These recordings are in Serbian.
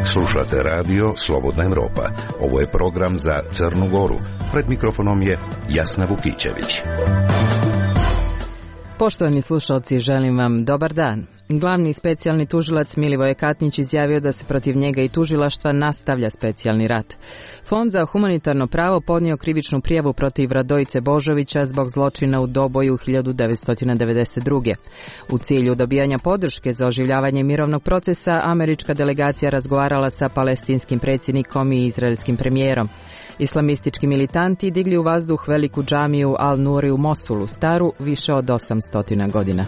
Slušate radio Slobodna Evropa. Ovo je program za Crnu Goru. Pred mikrofonom je Jasna Vukićević. Poštovani slušalci, želim vam dobar dan. Glavni specijalni tužilac Milivoje Katnić izjavio da se protiv njega i tužilaštva nastavlja specijalni rat. Fond za humanitarno pravo podnio krivičnu prijavu protiv Radojice Božovića zbog zločina u Doboju 1992. U cilju dobijanja podrške za oživljavanje mirovnog procesa, američka delegacija razgovarala sa palestinskim predsjednikom i izraelskim premijerom. Islamistički militanti digli u vazduh veliku džamiju Al-Nuri u Mosulu, staru više od 800 godina.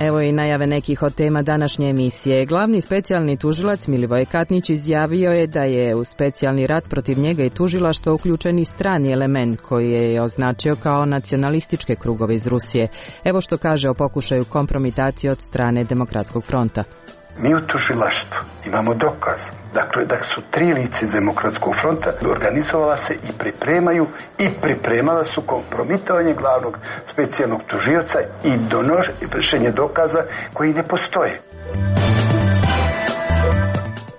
Evo i najave nekih od tema današnje emisije. Glavni specijalni tužilac Milivoje Katnić izjavio je da je u specijalni rat protiv njega i tužilaštva uključen i strani element koji je označio kao nacionalističke krugove iz Rusije. Evo što kaže o pokušaju kompromitacije od strane Demokratskog fronta. Mi u tužilaštvu imamo dokaz. Dakle, da su tri lice Demokratskog fronta organizovala se i pripremala su kompromitovanje glavnog specijalnog tužioca i donošenje dokaza koji ne postoje.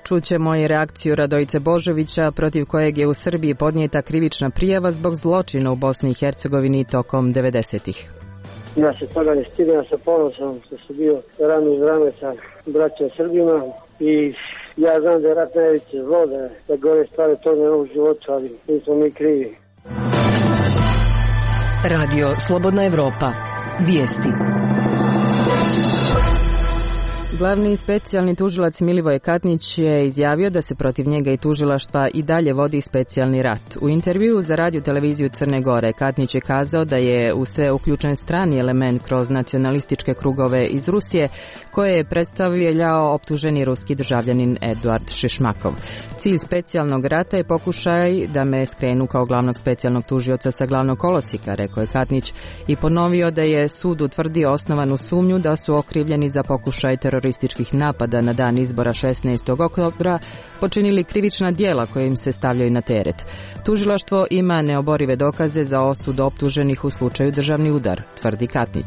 Čućemo i reakciju Radojice Božovića, protiv kojeg je u Srbiji podnijeta krivična prijava zbog zločina u Bosni i Hercegovini tokom 90-ih. Ja se toga ne stidim, ja sam ponosan što sam bio rame uz rame sa braćom Srbima i ja znam da je rat najveće zlo, da gore stvari to ne u životu, ali nismo mi krivi. Radio Slobodna Evropa. Vijesti. Glavni specijalni tužilac Milivoje Katnić je izjavio da se protiv njega i tužilaštva i dalje vodi specijalni rat. U intervjuu za radio televiziju Crne Gore Katnić je kazao da je u sve uključen strani element kroz nacionalističke krugove iz Rusije koje je predstavljao optuženi ruski državljanin Eduard Šišmakov. Cilj specijalnog rata je pokušaj da me skrenu kao glavnog specijalnog tužioca sa glavnog kolosika, rekao je Katnić i ponovio da je sud utvrdio osnovanu sumnju da su okrivljeni za pokušaj terorističkih napada na dan izbora 16. oktobra počinili krivična djela koje im se stavljaju na teret. Tužilaštvo ima neoborive dokaze za osud optuženih u slučaju državni udar, tvrdi Katnić.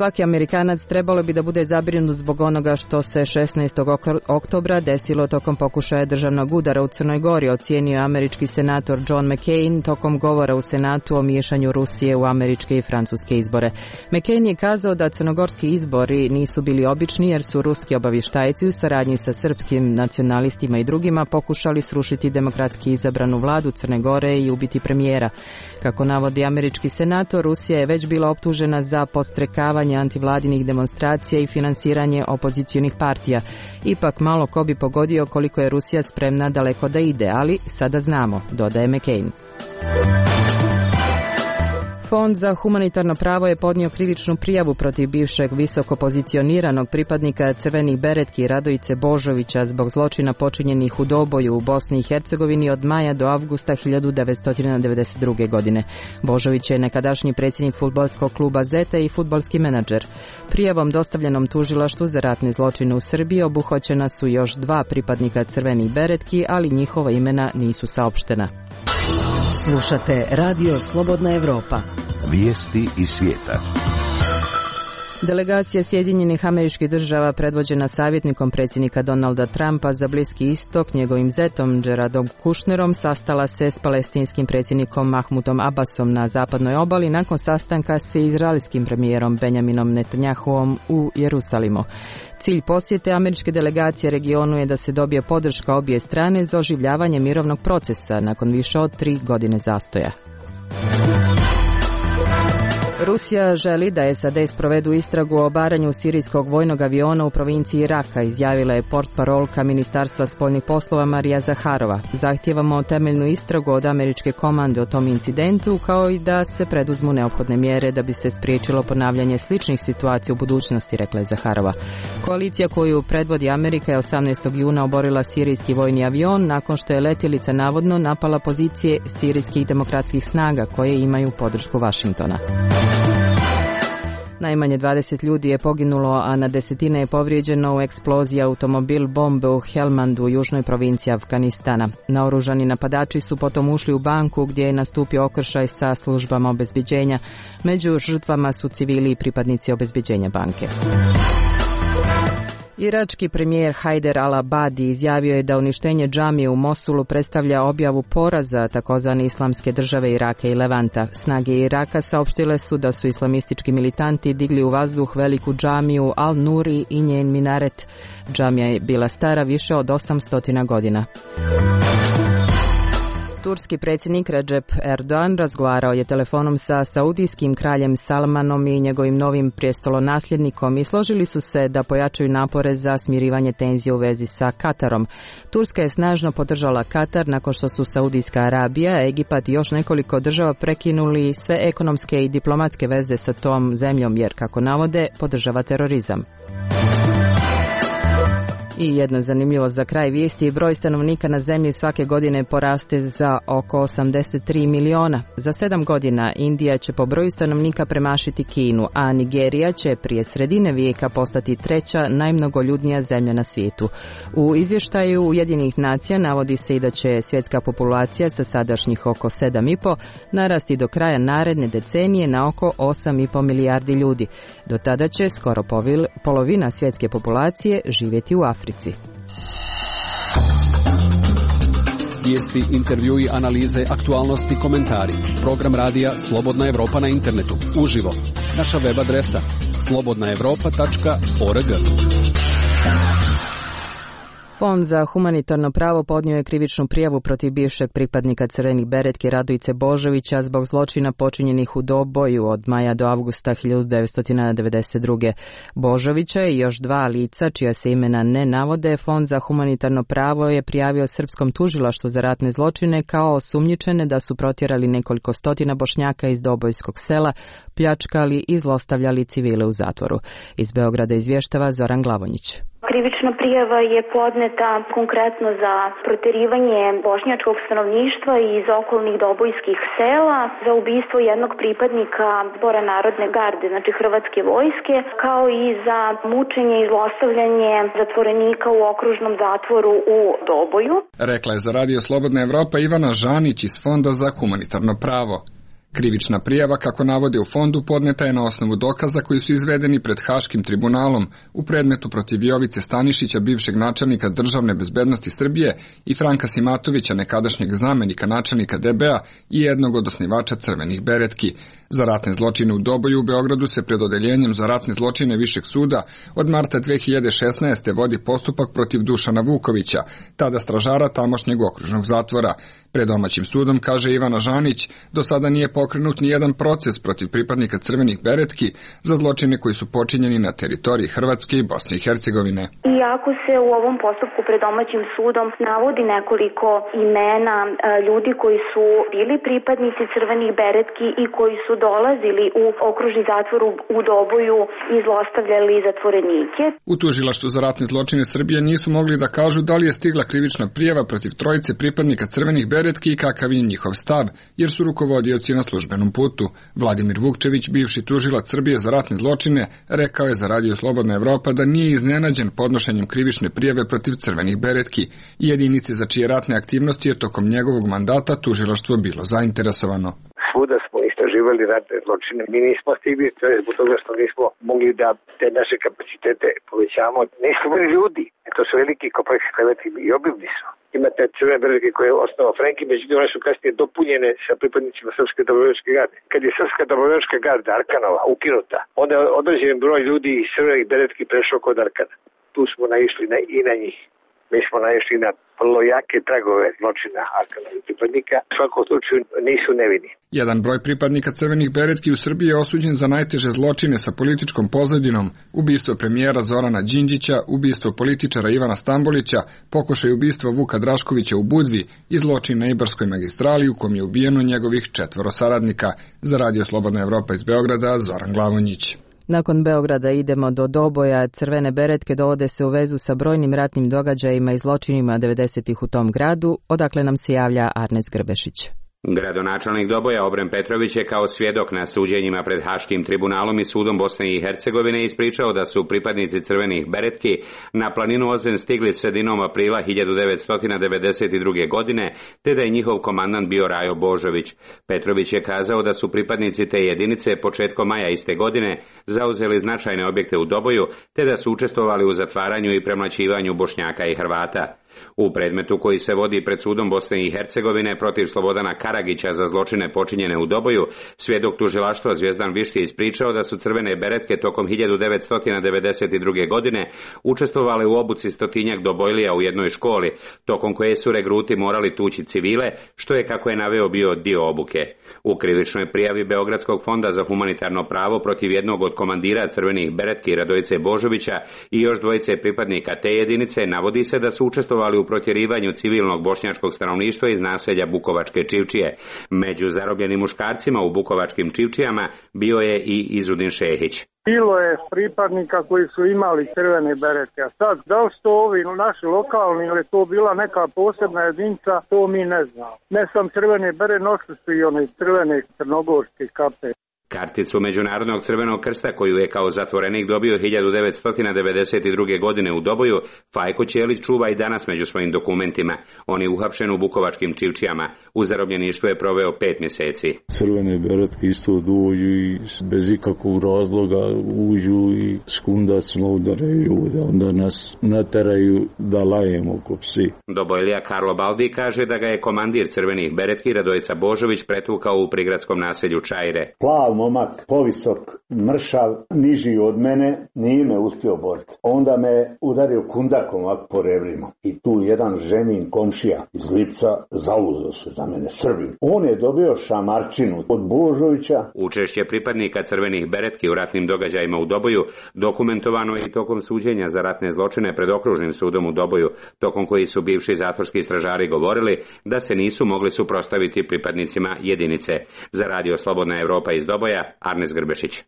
Svaki Amerikanac trebalo bi da bude zabrinut zbog onoga što se 16. oktobra desilo tokom pokušaja državnog udara u Crnoj Gori, ocijenio američki senator John McCain tokom govora u Senatu o miješanju Rusije u američke i francuske izbore. McCain je kazao da crnogorski izbori nisu bili obični jer su ruski obavještajci u saradnji sa srpskim nacionalistima i drugima pokušali srušiti demokratski izabranu vladu Crne Gore i ubiti premijera. Kako navodi američki senator, Rusija je već bila optužena za podstrekavanje antivladinih demonstracija i finansiranje opozicionih partija. Ipak malo ko bi pogodio koliko je Rusija spremna daleko da ide, ali sada znamo, dodaje McCain. Fond za humanitarno pravo je podnio krivičnu prijavu protiv bivšeg visoko pozicioniranog pripadnika crvenih beretki Radojice Božovića zbog zločina počinjenih u Doboju u Bosni i Hercegovini od maja do avgusta 1992. godine. Božović je nekadašnji predsjednik fudbalskog kluba Zeta i fudbalski menadžer. Prijavom dostavljenom tužilaštvu za ratne zločine u Srbiji obuhvaćena su još 2 pripadnika crvenih beretki, ali njihova imena nisu saopštena. Slušate Radio Slobodna Evropa. Vijesti iz svijeta. Delegacija Sjedinjenih Američkih Država predvođena savjetnikom predsjednika Donalda Trumpa za Bliski istok, njegovim zetom Jaredom Kushnerom, sastala se s palestinskim predsjednikom Mahmudom Abbasom na zapadnoj obali nakon sastanka s izraelskim premijerom Benjaminom Netanjahuom u Jerusalimu. Cilj posjete američke delegacije regionu je da se dobije podrška obje strane za oživljavanje mirovnog procesa nakon više od 3 godine zastoja. Rusija želi da SAD sprovedu istragu o obaranju sirijskog vojnog aviona u provinciji Raka, izjavila je portparolka Ministarstva spoljnih poslova Marija Zaharova. Zahtijevamo temeljnu istragu od američke komande o tom incidentu, kao i da se preduzmu neophodne mjere da bi se spriječilo ponavljanje sličnih situacija u budućnosti, rekla je Zaharova. Koalicija koju predvodi Amerika je 18. juna oborila sirijski vojni avion nakon što je letjelica navodno napala pozicije sirijskih demokratskih snaga koje imaju podršku Vašingtona. Najmanje 20 ljudi je poginulo, a na desetine je povrijeđeno u eksploziji automobil bombe u Helmandu, u južnoj provinciji Afganistana. Naoružani napadači su potom ušli u banku gdje je nastupio okršaj sa službama obezbeđenja. Među žrtvama su civili i pripadnici obezbeđenja banke. Irački premijer Hajder al-Abadi izjavio je da uništenje džamije u Mosulu predstavlja objavu poraza takozvane islamske države Iraka i Levanta. Snage Iraka saopštile su da su islamistički militanti digli u vazduh veliku džamiju Al-Nuri i njen minaret. Džamija je bila stara više od 800 godina. Turski predsjednik Recep Erdogan razgovarao je telefonom sa saudijskim kraljem Salmanom i njegovim novim prijestolonasljednikom i složili su se da pojačaju napore za smirivanje tenzije u vezi sa Katarom. Turska je snažno podržala Katar nakon što su Saudijska Arabija, Egipat i još nekoliko država prekinuli sve ekonomske i diplomatske veze sa tom zemljom jer, kako navode, podržava terorizam. I jedna zanimljivost za kraj vijesti, broj stanovnika na zemlji svake godine poraste za oko 83 miliona. Za 7 godina Indija će po broju stanovnika premašiti Kinu, a Nigerija će prije sredine vijeka postati treća najmnogoljudnija zemlja na svijetu. U izvještaju Ujedinjenih nacija navodi se i da će svjetska populacija sa sadašnjih oko 7,5 narasti do kraja naredne decenije na oko 8,5 milijardi ljudi. Do tada će skoro polovina svjetske populacije živjeti u Africi. Vijesti, intervjui, analize, aktualnosti, komentari. Program radija Slobodna Evropa na internetu. Uživo. Naša web adresa slobodnaevropa.org. Fond za humanitarno pravo podnio je krivičnu prijavu protiv bivšeg pripadnika Crvenih beretki Radojice Božovića zbog zločina počinjenih u Doboju od maja do avgusta 1992. Božovića i još 2 lica čija se imena ne navode, Fond za humanitarno pravo je prijavio srpskom tužilaštvu za ratne zločine kao osumnjičene da su protjerali nekoliko stotina Bošnjaka iz Dobojskog sela, pljačkali i zlostavljali civile u zatvoru. Iz Beograda izvještava Zoran Glavonjić. Krivična prijava je podneta konkretno za protjerivanje bošnjačkog stanovništva iz okolnih dobojskih sela, za ubistvo jednog pripadnika Zbora narodne garde, znači Hrvatske vojske, kao i za mučenje i zlostavljanje zatvorenika u okružnom zatvoru u Doboju. Rekla je za Radio Slobodna Evropa Ivana Žanić iz Fonda za humanitarno pravo. Krivična prijava, kako navode u fondu, podneta je na osnovu dokaza koji su izvedeni pred Haškim tribunalom u predmetu protiv Jovice Stanišića, bivšeg načelnika Državne bezbednosti Srbije, i Franka Simatovića, nekadašnjeg zamenika načelnika DB-a i jednog od osnivača Crvenih beretki. Za ratne zločine u Doboju u Beogradu se pred odeljenjem za ratne zločine Višeg suda od marta 2016. vodi postupak protiv Dušana Vukovića, tada stražara tamošnjeg okružnog zatvora. Pred domaćim sudom, kaže Ivana Žanić, do sada nije pokrenut ni jedan proces protiv pripadnika Crvenih beretki za zločine koji su počinjeni na teritoriji Hrvatske i Bosne i Hercegovine. Iako se u ovom postupku pred domaćim sudom navodi nekoliko imena ljudi koji su bili pripadnici Crvenih beretki i koji su dolazili u okružni zatvor u Doboju i zlostavljali zatvorenike. U tužilaštvu za ratne zločine Srbije nisu mogli da kažu da li je stigla krivična prijava protiv trojice pripadnika Crvenih beretki i kakav je njihov stav, jer su rukovodioci na službenom putu. Vladimir Vukčević, bivši tužilac Srbije za ratne zločine, rekao je za Radio Slobodna Evropa da nije iznenađen podnošenjem krivične prijave protiv Crvenih beretki i jedinice za čije ratne aktivnosti je tokom njegovog mandata tužilaštvo bilo zainteresovano. Svuda smo istraživali ratne zločine. Mi nismo stigli, to je zbog toga što nismo mogli da te naše kapacitete povećamo. Nismo bili ljudi. To su veliki kompleksi kreveti i obimni su. Imate Crvene beretke koje je osnovao Frenki, međutim one su kasnije dopunjene sa pripadnicima Srpske dobrovoljačke garde. Kad je Srpska dobrovoljačka garda Arkanova ukinuta, onda je određen broj ljudi iz Crvenih beretki prešao kod Arkana. Tu smo naišli i na njih. Mi smo naišli na vrlo jake tragove zločina Arkanovih pripadnika. U svakom slučaju nisu nevini. Jedan broj pripadnika Crvenih beretki u Srbiji je osuđen za najteže zločine sa političkom pozadinom: ubistvo premijera Zorana Đinđića, ubistvo političara Ivana Stambolića, pokušaj ubistva Vuka Draškovića u Budvi i zločin na Ibarskoj magistrali u kom je ubijeno njegovih 4 saradnika. Za Radio Slobodna Evropa iz Beograda, Zoran Glavonjić. Nakon Beograda idemo do Doboja. Crvene beretke dovode se u vezu sa brojnim ratnim događajima i zločinima 90-ih u tom gradu, odakle nam se javlja Arnes Grbešić. Gradonačelnik Doboja Obren Petrović je kao svjedok na suđenjima pred Haškim tribunalom i sudom Bosne i Hercegovine ispričao da su pripadnici crvenih beretki na planinu Ozen stigli sredinom aprila 1992. godine, te da je njihov komandant bio Rajo Božović. Petrović je kazao da su pripadnici te jedinice početkom maja iste godine zauzeli značajne objekte u Doboju, te da su učestvovali u zatvaranju i premlaćivanju Bošnjaka i Hrvata. U predmetu koji se vodi pred sudom Bosne i Hercegovine protiv Slobodana Karagića za zločine počinjene u Doboju, svjedok tužilaštva Zvjezdan Višti ispričao da su crvene beretke tokom 1992. godine učestvovali u obuci 100-tinjak Dobojlija u jednoj školi, tokom koje su regruti morali tući civile, što je, kako je naveo, bio dio obuke. U krivičnoj prijavi Beogradskog fonda za humanitarno pravo protiv jednog od komandira crvenih beretki Radojice Božovića i još dvojice pripadnika te jedinice navodi se da su učestvovali u protjerivanju civilnog bošnjačkog stanovništva iz naselja Bukovačke Čivčije. Među zarobljenim muškarcima u Bukovačkim Čivčijama bio je i Izudin Šehić. Bilo je pripadnika koji su imali crvene berete, a sad da li su to ovi naši lokalni ili to bila neka posebna jedinica, to mi ne znamo. Ne sam crvene bere, nosili su i one crvene crnogorske kape. Karticu Međunarodnog crvenog krsta, koju je kao zatvorenik dobio 1992. godine u Doboju, Fajko Ćelić čuva i danas među svojim dokumentima. On je uhapšen u Bukovačkim Čivčijama. U zarobljeništvu je proveo 5 mjeseci. Crvene beretke isto dođu i bez ikakvog razloga uđu i skundacno udaraju ljude. Onda nas nateraju da lajemo ko psi. Dobojlija Karlo Baldi kaže da ga je komandir crvenih beretki Radojica Božović pretukao u prigradskom naselju Čajre. Momak, povisok, mršav, niži od mene, nije me uspio boriti. Onda me udario kundakom ovak po rebrima. I tu jedan ženin komšija iz Lipca zauzeo se za mene, Srbin. On je dobio šamarčinu od Božovića. Učešće pripadnika crvenih beretki u ratnim događajima u Doboju dokumentovano je i tokom suđenja za ratne zločine pred okružnim sudom u Doboju, tokom koji su bivši zatvorski stražari govorili da se nisu mogli suprotstaviti pripadnicima jedinice. Za Radio Slobodna Evropa iz Doboja, Arnes Grbešić.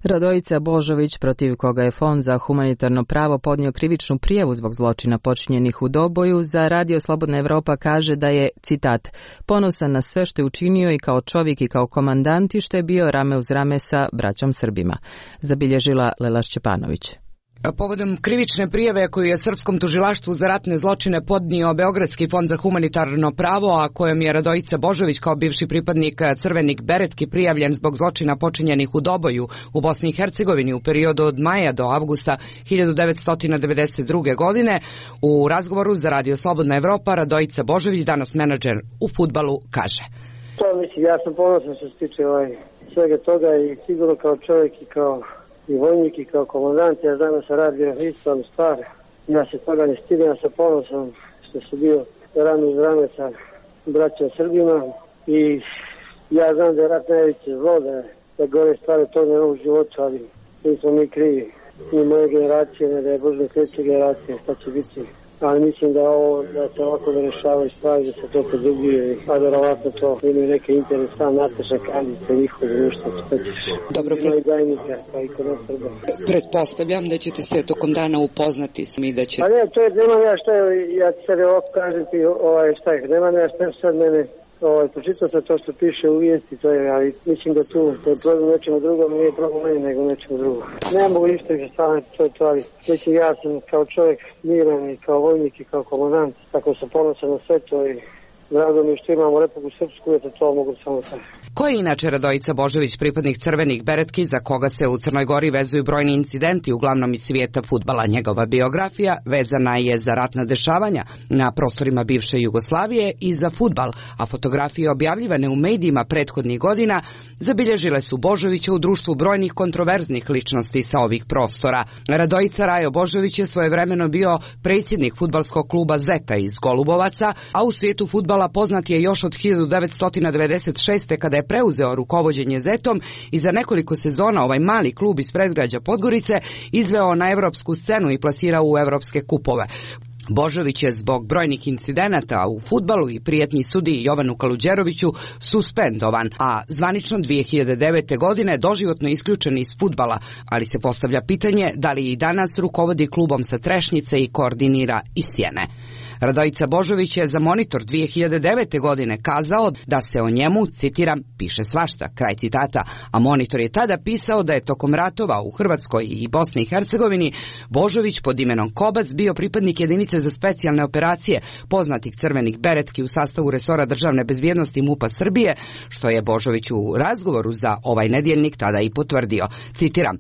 Radojica Božović, protiv koga je Fond za humanitarno pravo podnio krivičnu prijavu zbog zločina počinjenih u Doboju, za Radio Slobodna Evropa kaže da je, citat, ponosan na sve što je učinio i kao čovjek i kao komandant i što je bio rame uz rame sa braćom Srbima, zabilježila Lela Šćepanović. Povodom krivične prijave koju je Srpskom tužilaštvu za ratne zločine podnio Beogradski fond za humanitarno pravo, a kojom je Radojica Božović kao bivši pripadnik crvenih beretki prijavljen zbog zločina počinjenih u Doboju u Bosni i Hercegovini u periodu od maja do avgusta 1992. godine, u razgovoru za Radio Slobodna Evropa Radojica Božović, danas menadžer u fudbalu, kaže. To mislim, ja sam ponosan što se tiče svega toga i sigurno kao čovjek i kao i vojnik i kao komandant, ja znam da sam radio ispravnu stvar. Ja se toga ne stidim, ja sam ponosan što sam bio rame uz rame sa braćom Srbima i ja znam da je rat najveće zlo, da gore stvari to ne u životu, ali nismo mi krivi. Ni moje generacije, ne da je Bože sljedeće generacije, šta će biti. Ali mislim da se ovako da rešavaju stvari, da se to produbljuje, a verovatno to imaju neke interes, sam Nataša Kandica, njihovo društvo, što ćeš. Dobro, pretpostavljam da ćete se tokom dana upoznati s mi da će... Pa ne, to je, nemam ja šta, ja ti sad ovako kažem ti, šta je, nemam ja šta sad mene, pročitao sam to što piše u vijesti, to je, ali mislim da tu je problem nečemu drugom, nije problem meni nego nečemu drugom. Ne mogu ništa više staviti, to je to, ali mislim ja sam kao čovjek miran i kao vojnik i kao komandant, tako sam ponosan na sve to i drago mi što imamo Republiku Srpsku, eto to mogu samo tako. Ko je inače Radojica Božović, pripadnik crvenih beretki, za koga se u Crnoj Gori vezuju brojni incidenti, uglavnom iz svijeta fudbala? Njegova biografija vezana je za ratna dešavanja na prostorima bivše Jugoslavije i za fudbal, a fotografije objavljivane u medijima prethodnih godina zabilježile su Božovića u društvu brojnih kontroverznih ličnosti sa ovih prostora. Radojica Rajo Božović je svojevremeno bio predsjednik fudbalskog kluba Zeta iz Golubovaca, a u svijetu fudbala poznat je još od 1996. kada je preuzeo rukovođenje Zetom i za nekoliko sezona ovaj mali klub iz predgrađa Podgorice izveo na evropsku scenu i plasirao u evropske kupove. Božović je zbog brojnih incidenata u fudbalu i prijetnji sudiji Jovanu Kaluđeroviću suspendovan, a zvanično 2009. godine doživotno isključen iz fudbala, ali se postavlja pitanje da li i danas rukovodi klubom sa Trešnjice i koordinira iz Sjene. Radojica Božović je za Monitor 2009. godine kazao da se o njemu, citiram, piše svašta, kraj citata, a Monitor je tada pisao da je tokom ratova u Hrvatskoj i Bosni i Hercegovini Božović pod imenom Kobac bio pripadnik jedinice za specijalne operacije poznatih crvenih beretki u sastavu resora državne bezbjednosti MUP-a Srbije, što je Božović u razgovoru za ovaj nedjeljnik tada i potvrdio. Citiram,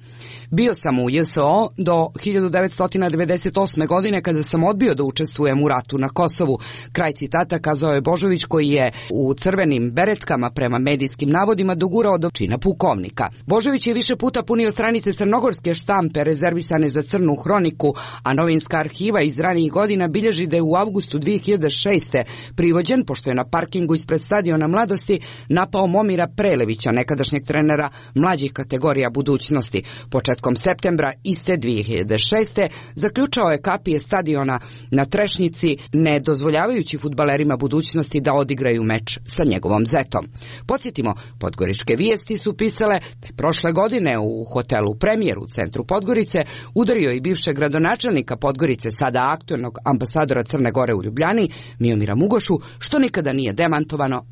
bio sam u JSO do 1998. godine kada sam odbio da učestvujem u ratu na Kosovu. Kraj citata, kazao je Božović, koji je u crvenim beretkama prema medijskim navodima dogurao do čina pukovnika. Božović je više puta punio stranice crnogorske štampe rezervisane za crnu hroniku, a novinska arhiva iz ranijih godina bilježi da je u avgustu 2006. privođen pošto je na parkingu ispred stadiona Mladosti napao Momira Prelevića, nekadašnjeg trenera mlađih kategorija budućnosti. Početkom septembra iste 2006. zaključao je kapije stadiona na Trešnjici, ne dozvoljavajući fudbalerima budućnosti da odigraju meč sa njegovom zetom. Podsjetimo, podgoričke vijesti su pisale da je prošle godine u hotelu Premijer u centru Podgorice udario i bivšeg gradonačelnika Podgorice, sada aktuelnog ambasadora Crne Gore u Ljubljani, Miomira Mugošu, što nikada nije demantovano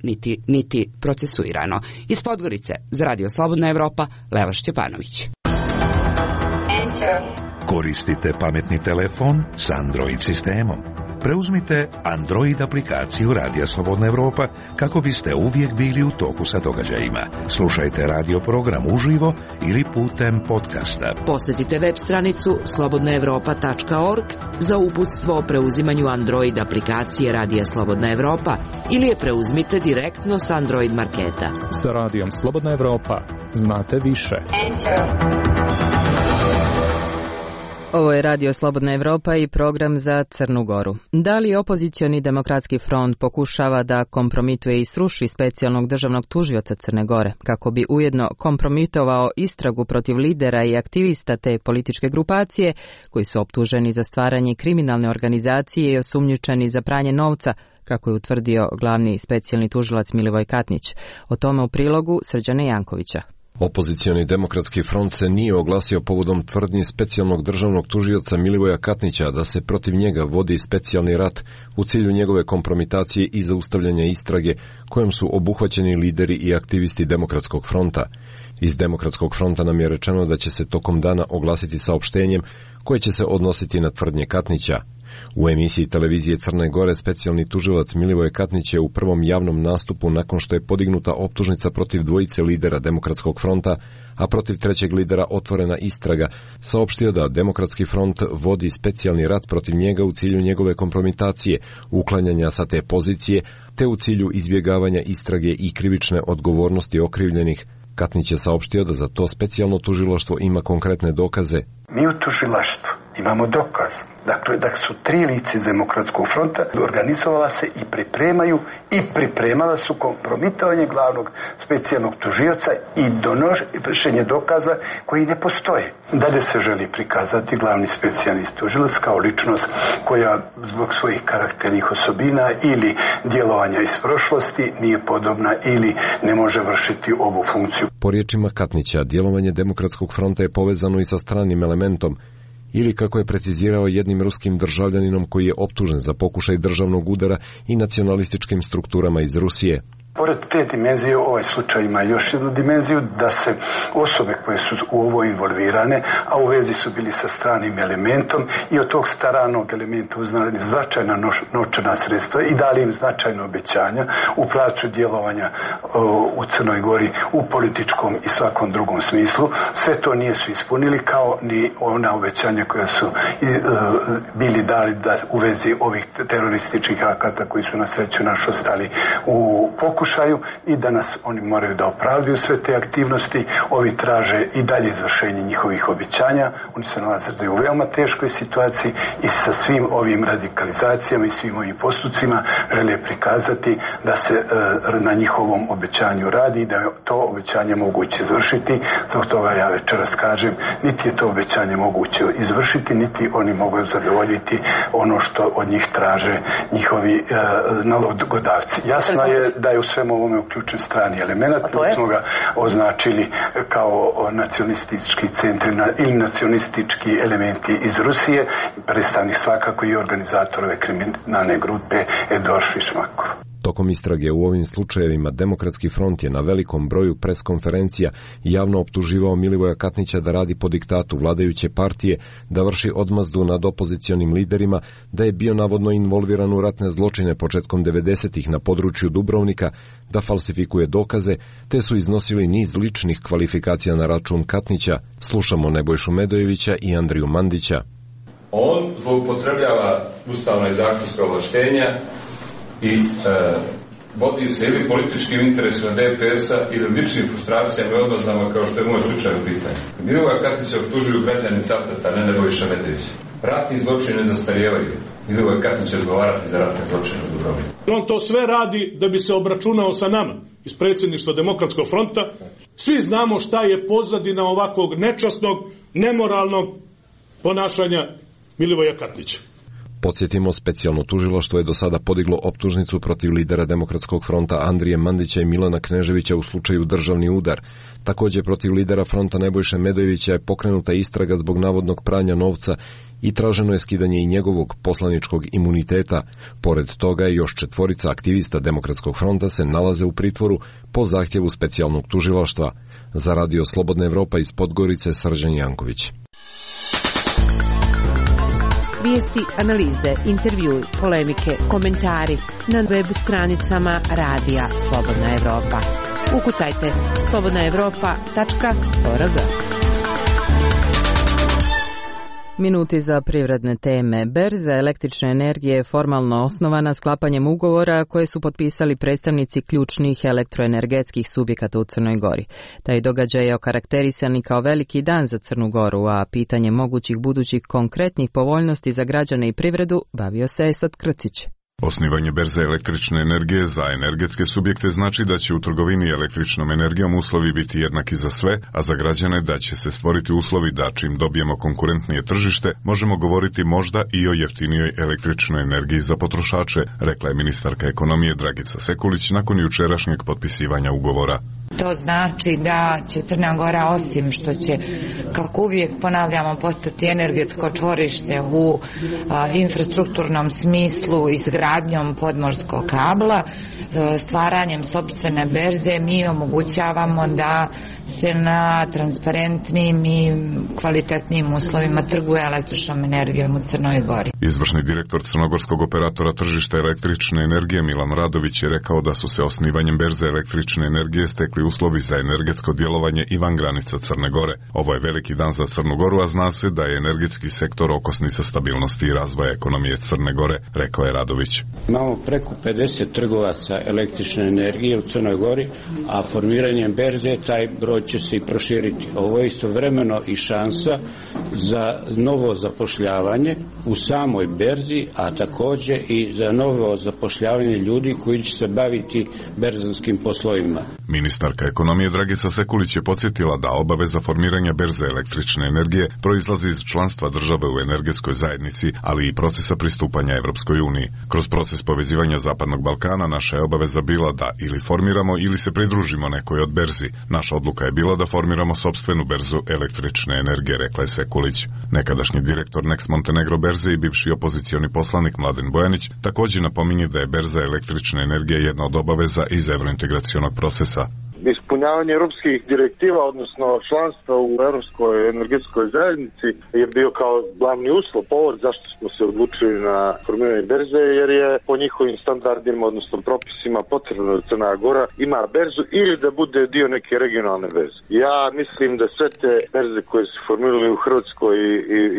niti procesuirano. Iz Podgorice za Radio Slobodna Evropa, Lela Šćepanović. Koristite pametni telefon s Android sistemom. Preuzmite Android aplikaciju Radija Slobodna Evropa kako biste uvijek bili u toku sa događajima. Slušajte radio program uživo ili putem podcasta. Posjetite web stranicu slobodnaevropa.org za uputstvo o preuzimanju Android aplikacije Radija Slobodna Evropa ili je preuzmite direktno s Android marketa. Sa Radijom Slobodna Evropa znate više. Ovo je Radio Slobodna Evropa i program za Crnu Goru. Da li opozicioni demokratski front pokušava da kompromituje i sruši specijalnog državnog tužioca Crne Gore, kako bi ujedno kompromitovao istragu protiv lidera i aktivista te političke grupacije, koji su optuženi za stvaranje kriminalne organizacije i osumnjičeni za pranje novca, kako je utvrdio glavni specijalni tužilac Milivoj Katnić. O tome u prilogu Srđana Jankovića. Opozicioni demokratski front se nije oglasio povodom tvrdnji specijalnog državnog tužioca Milivoja Katnića da se protiv njega vodi specijalni rat u cilju njegove kompromitacije i zaustavljanja istrage kojom su obuhvaćeni lideri i aktivisti demokratskog fronta. Iz demokratskog fronta nam je rečeno da će se tokom dana oglasiti saopštenjem koje će se odnositi na tvrdnje Katnića. U emisiji televizije Crne Gore specijalni tužilac Milivoje Katnić je u prvom javnom nastupu nakon što je podignuta optužnica protiv dvojice lidera Demokratskog fronta, a protiv trećeg lidera otvorena istraga, saopštio da Demokratski front vodi specijalni rat protiv njega u cilju njegove kompromitacije, uklanjanja sa te pozicije, te u cilju izbjegavanja istrage i krivične odgovornosti okrivljenih. Katnić je saopštio da za to specijalno tužilaštvo ima konkretne dokaze. Mi u tužilaštvu imamo dokaz. Dakle, da su tri lice Demokratskog fronta organizovala se i pripremala su kompromitovanje glavnog specijalnog tužioca i donošenje dokaza koji ne postoje. Dalje se želi prikazati glavni specijalni tužilac kao ličnost koja zbog svojih karakternih osobina ili djelovanja iz prošlosti nije podobna ili ne može vršiti ovu funkciju. Po riječima Katnića, djelovanje Demokratskog fronta je povezano i sa stranim elementom, ili kako je precizirao jednim ruskim državljaninom koji je optužen za pokušaj državnog udara i nacionalističkim strukturama iz Rusije. Pored te dimenzije, ovaj slučaj ima još jednu dimenziju, da se osobe koje su u ovo involvirane, a u vezi su bili sa stranim elementom i od tog stranog elementa uznali značajna novčana sredstva i dali im značajna obećanja u pravcu djelovanja u Crnoj Gori u političkom i svakom drugom smislu. Sve to nije su ispunili, kao ni ona obećanja koja su bili dali u vezi ovih terorističkih akata koji su na sreću naš ostali u pokušaju i danas oni moraju da opravdaju sve te aktivnosti. Ovi traže i dalje izvršenje njihovih obećanja. Oni se nalaze u veoma teškoj situaciji i sa svim ovim radikalizacijama i svim ovim postupcima žele prikazati da se na njihovom obećanju radi i da je to obećanje moguće izvršiti. Zbog toga ja večeras kažem, niti je to obećanje moguće izvršiti, niti oni mogu zadovoljiti ono što od njih traže njihovi nalogodavci. Jasno je da je u svemu ovome uključen strani element, pa smo ga označili kao nacionalistički centri ili nacionalistički elementi iz Rusije, predstavnik svakako i organizatorove kriminalne grupe Edorš i Šmakov. Tokom istrage u ovim slučajevima Demokratski front je na velikom broju preskonferencija javno optuživao Milivoja Katnića da radi po diktatu vladajuće partije, da vrši odmazdu nad opozicionim liderima, da je bio navodno involviran u ratne zločine početkom 90-ih na području Dubrovnika, da falsifikuje dokaze, te su iznosili niz ličnih kvalifikacija na račun Katnića. Slušamo Nebojšu Medojevića i Andriju Mandića. On zloupotrebljava ustavna i zakonska ovlaštenja i vodi se ili političkim interesima DPS-a ili ličnim frustracijama i odmazdama, kao što je moj slučaj u pitanju. Milivoja Katnića optužuju građani Cavtata, ne Nebojša Medojevića. Ratni zločini ne zastarijevaju. Milivoja Katnić će odgovarati za ratne zločine u Dubrovniku. On to sve radi da bi se obračunao sa nama iz predsjedništva Demokratskog fronta. Svi znamo šta je pozadina ovakvog nečasnog, nemoralnog ponašanja Milivoja Katnića. Podsjetimo, specijalno tužilaštvo je do sada podiglo optužnicu protiv lidera Demokratskog fronta Andrije Mandića i Milana Kneževića u slučaju državni udar. Također protiv lidera fronta Nebojše Medojevića je pokrenuta istraga zbog navodnog pranja novca i traženo je skidanje i njegovog poslaničkog imuniteta. Pored toga još 4 aktivista Demokratskog fronta se nalaze u pritvoru po zahtjevu specijalnog tužilaštva. Za Radio Slobodna Evropa iz Podgorice, Srđan Janković. Vijesti, analize, intervjui, polemike, komentari na web stranicama Radija Slobodna Evropa. Ukucajte slobodnaevropa.org. Minuti za privredne teme. Berza električne energije je formalno osnovana sklapanjem ugovora koje su potpisali predstavnici ključnih elektroenergetskih subjekata u Crnoj Gori. Taj događaj je okarakterisan i kao veliki dan za Crnu Goru, a pitanje mogućih budućih konkretnih povoljnosti za građane i privredu bavio se Esad Krcić. Osnivanje berze električne energije za energetske subjekte znači da će u trgovini električnom energijom uslovi biti jednaki za sve, a za građane da će se stvoriti uslovi da čim dobijemo konkurentnije tržište, možemo govoriti možda i o jeftinijoj električnoj energiji za potrošače, rekla je ministarka ekonomije Dragica Sekulić nakon jučerašnjeg potpisivanja ugovora. To znači da će Crna Gora, osim što će, kako uvijek ponavljamo, postati energetsko čvorište u infrastrukturnom smislu, izgradnjom podmorskog kabla, stvaranjem sopstvene berze, mi omogućavamo da se na transparentnim i kvalitetnim uslovima trguje električnom energijom u Crnoj Gori. Izvršni direktor crnogorskog operatora tržišta električne energije Milan Radović je rekao da su se osnivanjem berze električne energije stekli uslovi za energetsko djelovanje i van granica Crne Gore. Ovo je veliki dan za Crnu Goru, a zna se da je energetski sektor okosnica stabilnosti i razvoja ekonomije Crne Gore, rekao je Radović. Imamo preko 50 trgovaca električne energije u Crnoj Gori, a formiranjem berze taj broj će se i proširiti. Ovo je istovremeno i šansa za novo zapošljavanje u samoj berzi, a također i za novo zapošljavanje ljudi koji će se baviti berzanskim poslovima. Ministarka ekonomije Dragica Sekulić je podsjetila da obaveza formiranja berze električne energije proizlazi iz članstva države u energetskoj zajednici, ali i procesa pristupanja Evropskoj uniji. Kroz proces povezivanja Zapadnog Balkana naša je obaveza bila da ili formiramo ili se pridružimo nekoj od berzi. Naša odluka je bila da formiramo sopstvenu berzu električne energije, rekla je Sekulić. Nekadašnji direktor Nex Montenegro berze i bivši opozicioni poslanik Mladen Bojanić također napominje da je berza električne energije jedna od obaveza iz evrointegracionog procesa. Ispunjavanje europskih direktiva, odnosno članstva u Europskoj energetskoj zajednici je bio kao glavni uslov, povod zašto smo se odlučili na formiranje berze, jer je po njihovim standardima, odnosno propisima potrebno da Crna Gora ima berzu ili da bude dio neke regionalne berze. Ja mislim da sve te berze koje su formirali u Hrvatskoj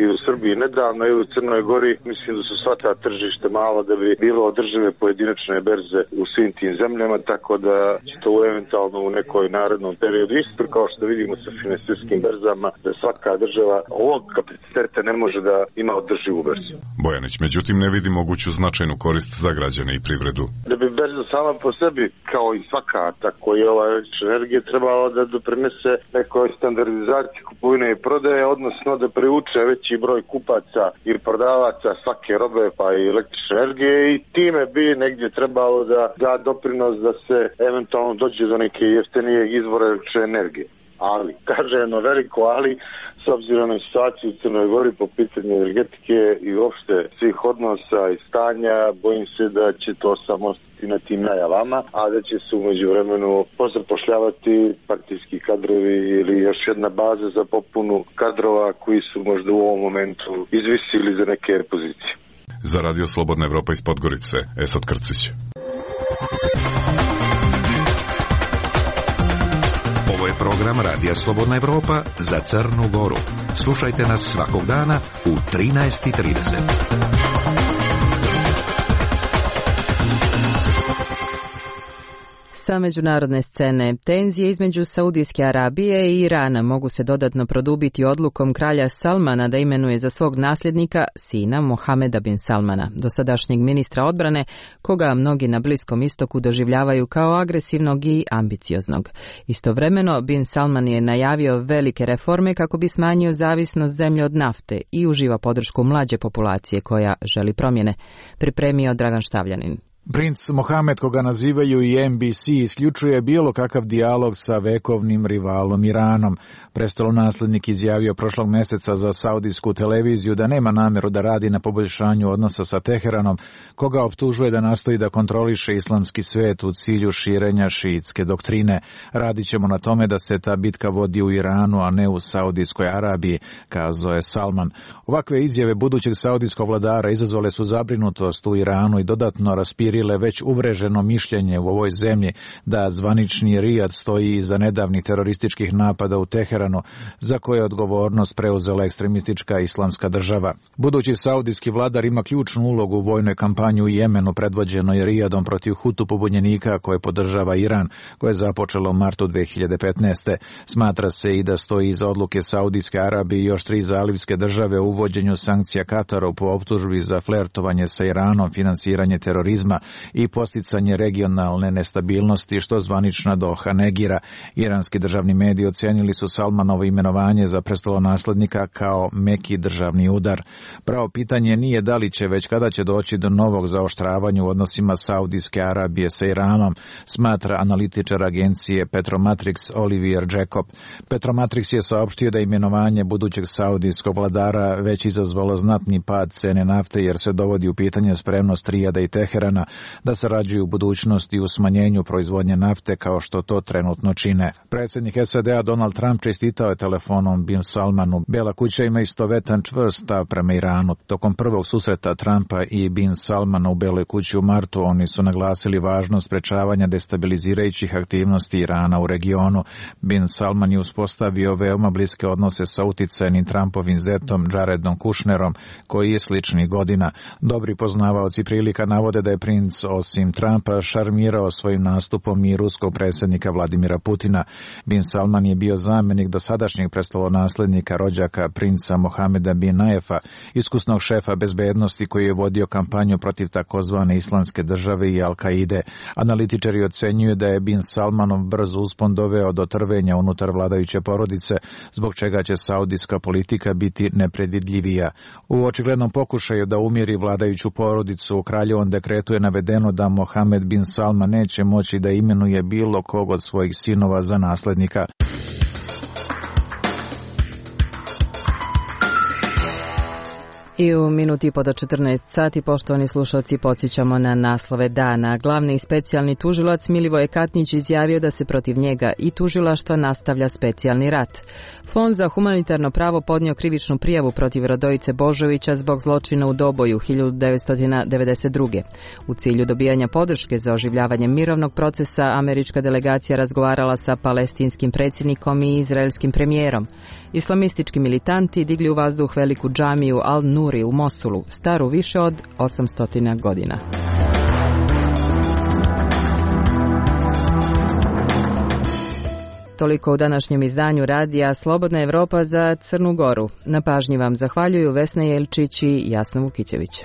i u Srbiji nedavno i u Crnoj Gori, mislim da su sva ta tržište malo da bi bilo održive pojedinačne berze u svim tim zemljama, tako da će to eventualno u nekoj narednom periodu. Isto kao što vidimo sa finansijskim berzama, da svaka država ovog kapaciteta ne može da ima održivu berzu. Bojanić, međutim, ne vidi moguću značajnu korist za građane i privredu. Da bi berza sama po sebi, kao i svaka, tako i ova električna energija, trebala da doprinese nekoj standardizaciji kupovine i prodaje, odnosno da privuče veći broj kupaca i prodavaca svake robe pa i električne energije, i time bi negdje trebalo da da doprinos da se eventualno dođe do neke jeftinijeg izvora električne energije. Ali, kaže jedno veliko ali, s obzirom na situaciju u Crnoj Gori po pitanju energetike i uopšte svih odnosa i stanja, bojim se da će to samo ostati na tim najavama, a da će se umeđu vremenu pozapošljavati partijski kadrovi ili još jedna baza za popunu kadrova koji su možda u ovom momentu izvisili za neke pozicije. Za Radio Slobodna Evropa iz Podgorice, Esad Krcić. Ovo je program Radija Slobodna Evropa za Crnu Goru. Slušajte nas svakog dana u 13:30. Sa međunarodne scene, tenzije između Saudijske Arabije i Irana mogu se dodatno produbiti odlukom kralja Salmana da imenuje za svog nasljednika sina Mohameda bin Salmana, dosadašnjeg ministra odbrane, koga mnogi na Bliskom istoku doživljavaju kao agresivnog i ambicioznog. Istovremeno, bin Salman je najavio velike reforme kako bi smanjio zavisnost zemlje od nafte i uživa podršku mlađe populacije koja želi promjene, pripremio Dragan Štavljanin. Princ Mohamed, koga nazivaju i NBC, isključuje bilo kakav dijalog sa vekovnim rivalom Iranom. Prestolonaslednik izjavio prošlog mjeseca za saudijsku televiziju da nema namjeru da radi na poboljšanju odnosa sa Teheranom, koga optužuje da nastoji da kontroliše islamski svijet u cilju širenja šiitske doktrine. Radit ćemo na tome da se ta bitka vodi u Iranu, a ne u Saudijskoj Arabiji, kazao je Salman. Ovakve izjave budućeg saudijskog vladara izazvale su zabrinutost u Iranu i dodatno raspirile već uvreženo mišljenje u ovoj zemlji da zvanični Rijad stoji iza nedavnih terorističkih napada u Teheranu, za koje je odgovornost preuzela ekstremistička islamska država. Budući saudijski vladar ima ključnu ulogu u vojnoj kampanji u Jemenu predvođenoj Rijadom protiv Hutu pobunjenika koje podržava Iran, koje je započelo u martu 2015. Smatra se i da stoji iza odluke Saudijske Arabije i još 3 zalivske države u uvođenju sankcija Kataru po optužbi za flertovanje sa Iranom, finansiranje terorizma i posticanje regionalne nestabilnosti, što zvanična Doha negira. Iranski državni mediji ocenili su Salmanovo imenovanje za prestolonaslednika kao meki državni udar. Pravo pitanje nije da li će, već kada će doći do novog zaoštravanja u odnosima Saudijske Arabije sa Iranom, smatra analitičar agencije Petromatrix Olivier Jacob. Petromatrix je saopštio da imenovanje budućeg saudijskog vladara već izazvalo znatni pad cene nafte jer se dovodi u pitanje spremnost Rijada i Teherana da sarađuju u budućnosti u smanjenju proizvodnje nafte kao što to trenutno čine. Predsjednik SAD-a Donald Trump čestitao je telefonom bin Salmanu. Bela kuća ima istovetan čvrst stav prema Iranu. Tokom prvog susreta Trumpa i bin Salmana u Beloj kući u martu oni su naglasili važnost sprečavanja destabilizirajućih aktivnosti Irana u regionu. Bin Salman je uspostavio veoma bliske odnose sa uticajnim Trumpovim zetom Jaredom Kushnerom, koji je sličnih godina. Dobri poznavaoci prilika navode da je princ osim Trumpa šarmirao svojim nastupom i ruskog predsjednika Vladimira Putina. Bin Salman je bio zamjenik dosadašnjeg prestolonaslednika rođaka princa Mohameda bin Najefa, iskusnog šefa bezbednosti koji je vodio kampanju protiv takozvane islamske države i Al-Kaide. Analitičari ocenjuju da je bin Salmanov brz uspon doveo do trvenja unutar vladajuće porodice, zbog čega će saudijska politika biti nepredvidljivija. U očiglednom pokušaju da umiri vladajuću porodicu u kraljevom dekretu je navedeno da Mohamed bin Salman neće moći da imenuje bilo kog od svojih sinova za naslednika. I u minuti po do 14 sati, poštovani slušalci, podsjećamo na naslove dana. Glavni i specijalni tužilac Milivoje Katnić izjavio da se protiv njega i tužilaštva nastavlja specijalni rat. Fond za humanitarno pravo podnio krivičnu prijavu protiv Radojice Božovića zbog zločina u Doboju 1992. U cilju dobijanja podrške za oživljavanje mirovnog procesa, američka delegacija razgovarala sa palestinskim predsjednikom i izraelskim premijerom. Islamistički militanti digli u vazduh veliku džamiju Al-Nuri u Mosulu, staru više od 800 godina. Toliko u današnjem izdanju radija Slobodna Evropa za Crnu Goru. Na pažnji vam zahvaljuju Vesna Jelčić i Jasna Vukićević.